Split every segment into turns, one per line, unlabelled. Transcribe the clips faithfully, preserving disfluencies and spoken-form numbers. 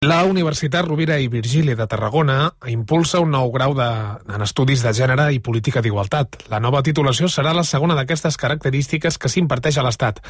La Universitat Rovira i Virgili de Tarragona impulsa un nou grau de, en Estudis de Gènere i Política d'Igualtat. La nova titulació serà la segona d'aquestes característiques que s'imparteix a l'Estat.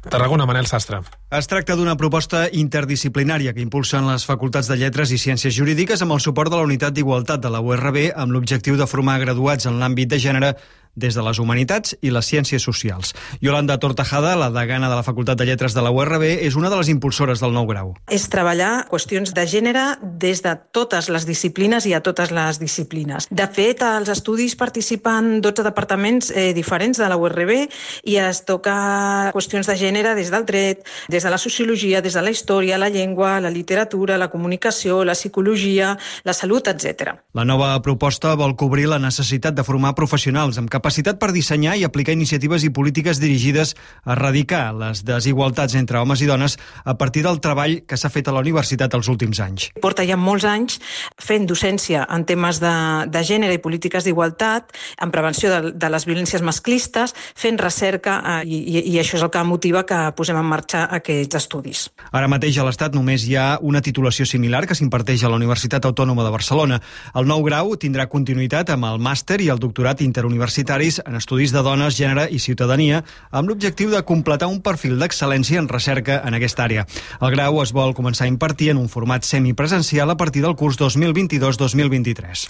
Tarragona, Manel Sastre.
Es tracta d'una proposta interdisciplinària que impulsen les facultats de Lletres i Ciències Jurídiques amb el suport de la Unitat d'Igualtat de la U R B amb l'objectiu de formar graduats en l'àmbit de gènere des de les humanitats i les ciències socials. Yolanda Tortajada, la degana de la Facultat de Lletres de la U R B, és una de les impulsores del nou grau.
És treballar qüestions de gènere des de totes les disciplines i a totes les disciplines. De fet, als estudis participen dotze departaments eh, diferents de la U R B i es toca qüestions de gènere des del dret, des de la sociologia, des de la història, la llengua, la literatura, la comunicació, la psicologia, la salut, etcètera.
La nova proposta vol cobrir la necessitat de formar professionals amb capacitat per dissenyar i aplicar iniciatives i polítiques dirigides a erradicar les desigualtats entre homes i dones a partir del treball que s'ha fet a la universitat els últims anys.
Porta ja molts anys fent docència en temes de, de gènere i polítiques d'igualtat, en prevenció de, de les violències masclistes, fent recerca eh, i, i això és el que motiva que posem en marxa aquests estudis.
Ara mateix a l'Estat només hi ha una titulació similar que s'imparteix a la Universitat Autònoma de Barcelona. El nou grau tindrà continuïtat amb el màster i el doctorat interuniversitari en estudis de dones, gènere i ciutadania, amb l'objectiu de completar un perfil d'excel·lència en recerca en aquesta àrea. El grau es vol començar a impartir en un format semipresencial a partir del curs dos mil vint-i-dos dos mil vint-i-tres.